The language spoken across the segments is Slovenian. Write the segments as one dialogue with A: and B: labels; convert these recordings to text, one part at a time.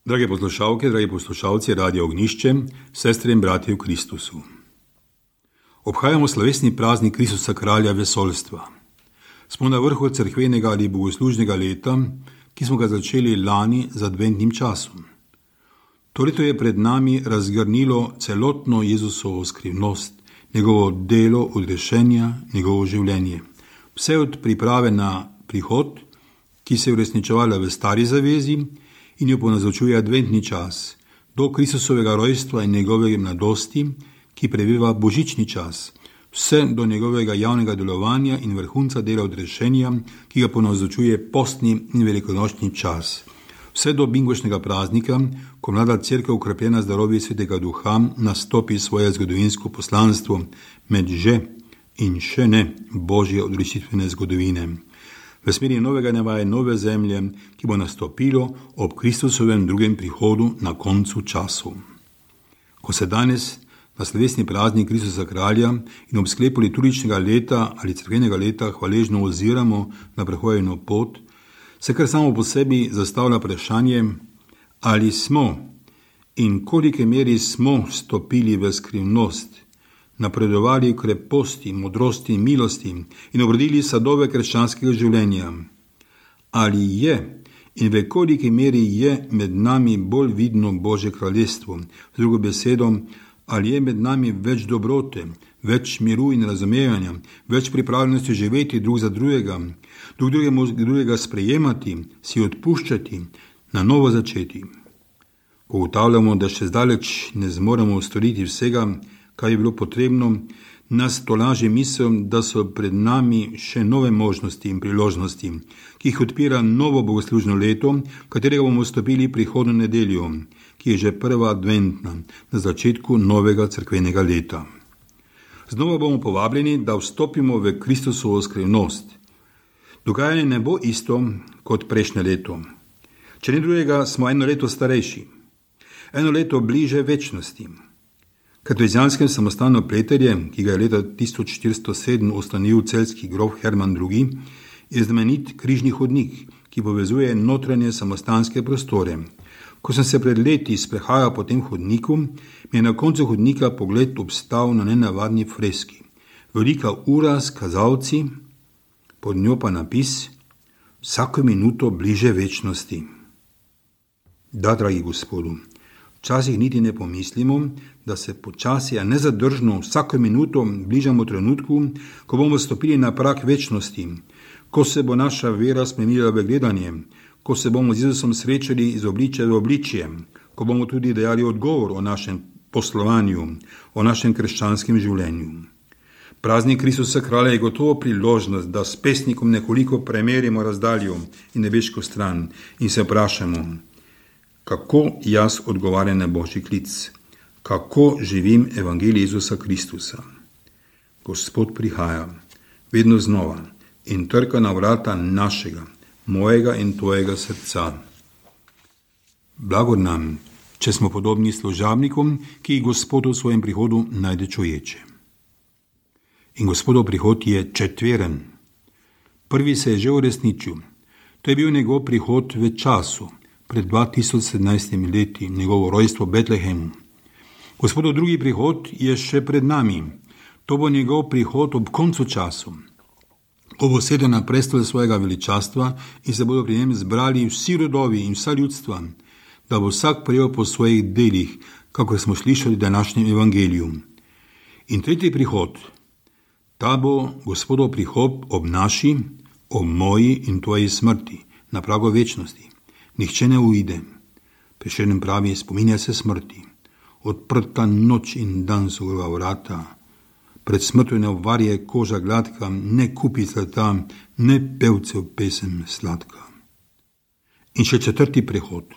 A: Drage poslušalke, dragi poslušalci Radia Ognišče, sestre in bratje v Kristusu. Obhajamo slovesni praznik Kristusa kralja vesoljstva. Smo na vrhu cerkvenega ali bogoslužnega leta, ki smo ga začeli lani z adventnim časom. To leto je pred nami razgrnilo celotno Jezusovo skrivnost, njegovo delo odrešenja, njegovo življenje. Vse od priprave na prihod, ki se je uresničevala v stari zavezi in jo ponazorčuje adventni čas, do Kristusovega rojstva in njegove mladosti, ki prebiva božični čas, vse do njegovega javnega delovanja in vrhunca dela odrešenja, ki ga ponazorčuje postni in velikonočni čas. Vse do bingošnjega praznika, ko mlada cerkev ukrepljena z darovi Svetega Duha nastopi svoje zgodovinsko poslanstvo med že in še ne božje odrešitvene zgodovine. V smeri novega neba in nove zemlje, ki bo nastopilo ob Kristusovem drugem prihodu na koncu času. Ko se danes na slovesni praznik Kristusa kralja in ob sklepu liturgičnega leta ali cerkvenega leta hvaležno oziramo na prehojeno pot, se kar samo po sebi zastavlja vprašanje, ali smo in kolike meri smo stopili v skrivnost, napredovali v kreposti, modrosti in milosti in obrodili sadove krščanskega življenja. Ali je in v koliki meri je med nami bolj vidno Božje kraljestvo, z drugo besedo, ali je med nami več dobrote, več miru in razumevanja, več pripravljenosti živeti drug za drugega, drugega sprejemati, si odpuščati, na novo začeti. Ko ugotavljamo, da še zdaleč ne zmoremo storiti vsega, kar je bilo potrebno, nas tolaži misel, da so pred nami še nove možnosti in priložnosti, ki jih odpira novo bogoslužno leto, katerega bomo vstopili prihodnjo nedeljo, ki je že prva adventna, na začetku novega cerkvenega leta. Znova bomo povabljeni, da vstopimo v Kristusovo skrivnost. Dogajanje ne bo isto kot prejšnje leto. Če ne drugega, smo eno leto starejši, eno leto bliže večnosti. Katolizanskem samostanu Pleterje, ki ga je leta 1407 ustanovil celjski grof Herman II., je znamenit križni hodnik, ki povezuje notranje samostanske prostore. Ko sem se pred leti sprehajal po tem hodniku, mi je na koncu hodnika pogled obstal na nenavadni freski. Velika ura s kazalci, pod njo pa napis: vsako minuto bliže večnosti. Da, dragi Gospodu, včasih niti ne pomislimo, da se počasi, a nezadržno vsako minuto bližamo trenutku, ko bomo stopili na prag večnosti, ko se bo naša vera spremenila v gledanje, ko se bomo z Jezusom srečali iz obličja v obličje, ko bomo tudi dajali odgovor o našem poslovanju, o našem krščanskem življenju. Praznik Kristusa kralja je gotovo priložnost, da s pesnikom nekoliko premerimo razdaljo in nebeško stran in se vprašamo, kako jaz odgovarjam na Božji klic, kako živim evangelij Jezusa Kristusa. Gospod prihaja, vedno znova, in trka na vrata našega, mojega in tvojega srca. Blagor nam, če smo podobni služabnikom, ki jih Gospod v svojem prihodu najde čuječe. In Gospodov prihod je četveren. Prvi se je že uresničil. To je bil njegov prihod v času, pred 2017 leti, njegovo rojstvo v Betlehemu. Gospodov drugi prihod je še pred nami. To bo njegov prihod ob koncu času. Ko bo sedel na prestol svojega veličastva in se bodo pri njem zbrali vsi rodovi in vsa ljudstva, da bo vsak prejel po svojih delih, kako smo slišali v današnjem evangeliju. In tretji prihod, ta bo Gospodov prihod ob naši, ob moji in tvoji smrti, na pragu večnosti. Nihče ne uide. Prešeren pravi, spominja se smrti. Odprta noč in dan so grova vrata. Pred smrtjo ne obvarje koža gladka, ne kupi zlata, ne pevcev pesem sladka. In še četrti prehod.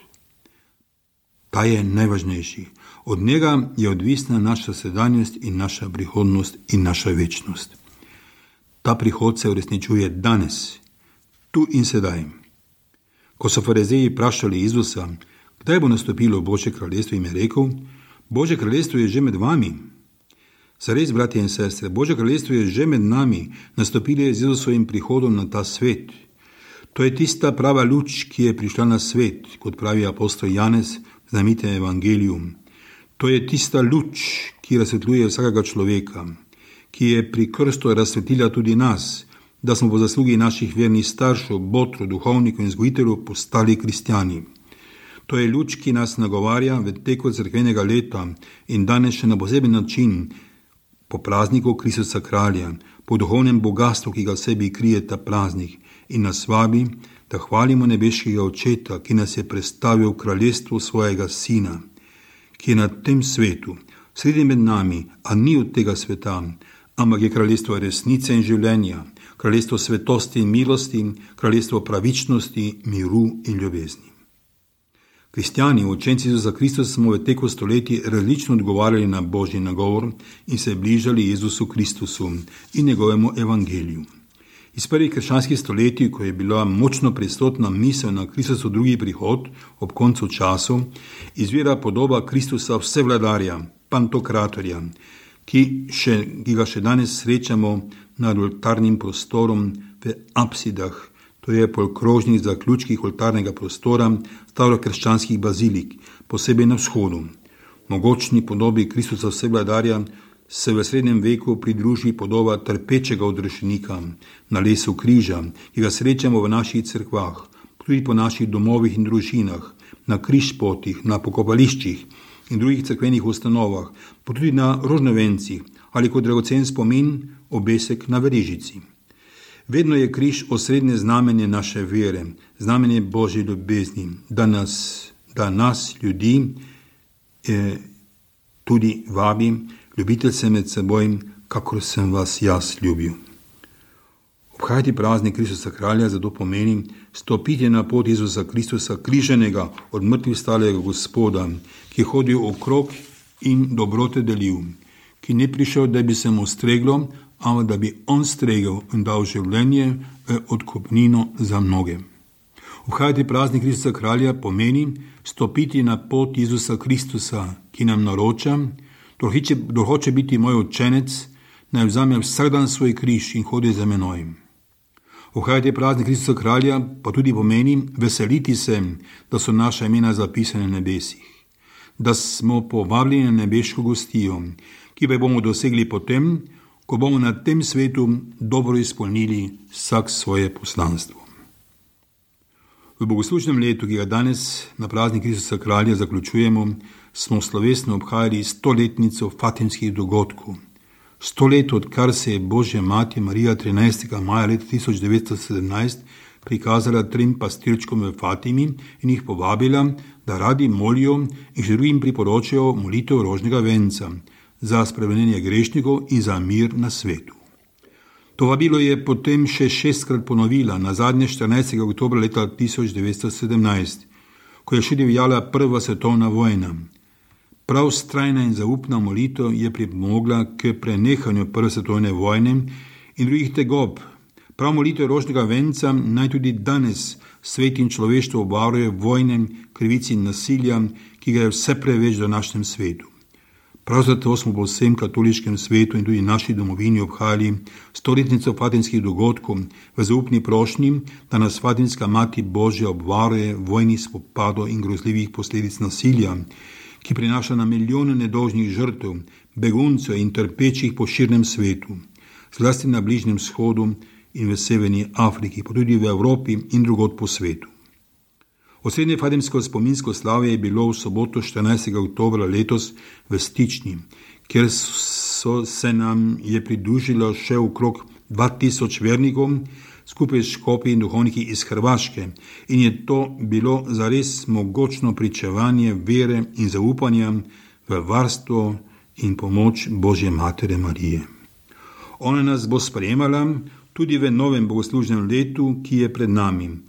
A: Ta je najvažnejši. Od njega je odvisna naša sedanjost in naša prihodnost in naša večnost. Ta prihod se uresničuje danes, tu in sedaj. Ko so farizeji vprašali Jezusa, kdaj bo nastopilo Božje kraljestvo, jim je rekel, Božje kraljestvo je že med vami. Zares, bratje in sestre, Božje kraljestvo je že med nami, nastopilo je z Jezusovim prihodom na ta svet. To je tista prava luč, ki je prišla na svet, kot pravi apostol Janez v znamenitem evangeliju. To je tista luč, ki razsvetljuje vsakega človeka, ki je pri krstu razsvetlila tudi nas, da smo po zaslugi naših vernih staršev, botrov, duhovnikov in vzgojiteljev postali kristjani. To je luč, ki nas nagovarja v teku cerkvenega leta in danes še na poseben način, po prazniku Kristusa Kralja, po duhovnem bogastvu, ki ga v sebi krije ta praznik, in nas vabi, da hvalimo nebeškega Očeta, ki nas je predstavil v kraljestvu svojega Sina, ki je na tem svetu, sredi med nami, a ni od tega sveta, ampak je kraljestvo resnice in življenja, kraljestvo svetosti in milosti, kraljestvo pravičnosti, miru in ljubezni. Kristjani, učenci Jezusa Kristusa, smo v teku stoletij različno odgovarjali na Božji nagovor in se bližali Jezusu Kristusu in njegovemu evangeliju. Iz prvih krščanskih stoletij, ko je bila močno prisotna misel na Kristusov drugi prihod ob koncu času, izvira podoba Kristusa vsevladarja, pantokratorja, ki ga še danes srečamo nad oltarnim prostorom v apsidah, to je polkrožnih zaključkih oltarnega prostora starokrščanskih bazilik, posebej na vzhodu. Mogočni podobi Kristusa vsevladarja se v srednjem veku pridruži podoba trpečega odrešenika na lesu križa, ki ga srečamo v naših cerkvah, tudi po naših domovih in družinah, na križpotih, na pokopališčih in drugih cerkvenih ustanovah, pa tudi na rožnovencih ali kot dragocen spomin obesek na verižici. Vedno je križ osrednje znamenje naše vere, znamenje Božje ljubezni, da nas ljudi tudi vabi, ljubite se med seboj, kakor sem vas jaz ljubil. Obhajati praznik Kristusa Kralja zato pomeni stopiti na pot Jezusa Kristusa, križanega, od mrtvih stalega Gospoda, ki je hodil okrog in dobrote delil, ki ni prišel, da bi se mu streglo, ampak da bi on stregel in dal življenje odkupnino za mnoge. Obhajati praznik Kristusa Kralja pomeni stopiti na pot Jezusa Kristusa, ki nam naroča, kdor hoče biti moj učenec, naj vzame vsak dan svoj križ in hodi za menoj. Obhajati praznik Kristusa Kralja pa tudi pomeni veseliti se, da so naša imena zapisane na nebesih, da smo povabljeni na nebeško gostijo, ki pa bomo dosegli potem, ko bomo na tem svetu dobro izpolnili vsak svoje poslanstvo. V bogoslužnem letu, ki ga danes na praznik Kristusa Kralja zaključujemo, smo slovesno obhajali 100-letnico fatimskih dogodkov. 100 let, odkar se je Božja mati Marija 13. maja leta 1917 prikazala 3 pastirčkom v Fatimi in jih povabila, da radi molijo in še drugim priporočajo molitev rožnega venca za spremenjenje grešnikov in za mir na svetu. To vabilo je potem še 6-krat ponovila, nazadnje 14. oktobra leta 1917, ko je še divjala prva svetovna vojna. Prav vztrajna in zaupna molitev je pripomogla k prenehanju prve svetovne vojne in drugih tegob. Prav molitev rožnega venca naj tudi danes svet in človeštvo obvaruje vojne, krivic in nasilja, ki ga je vse preveč v današnjem svetu. Prav zato smo po vsem katoliškem svetu in tudi naši domovini obhajali 100-letnico fatimskih dogodkov v zaupni prošnji, da nas Fatimska mati Božja obvaruje vojnih spopadov in grozljivih posledic nasilja, ki prinaša na milijone nedolžnih žrtev, beguncev in trpečih po širnem svetu, zlasti na Bližnjem vzhodu in v severni Afriki, pa tudi v Evropi in drugod po svetu. Osrednje fatimsko spominsko slavje je bilo v soboto 14. oktobra letos v Stični, kjer se nam je pridružilo še okrog 2000 vernikov, skupaj s škofi in duhovniki iz Hrvaške, in je to bilo zares mogočno pričevanje vere in zaupanja v varstvo in pomoč Božje Matere Marije. Ona nas bo sprejemala tudi v novem bogoslužnem letu, ki je pred nami,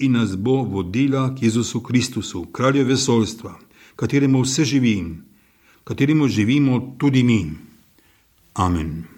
A: in nas bo vodila k Jezusu Kristusu, kralju vesoljstva, kateremu vse živi, kateremu živimo tudi mi. Amen.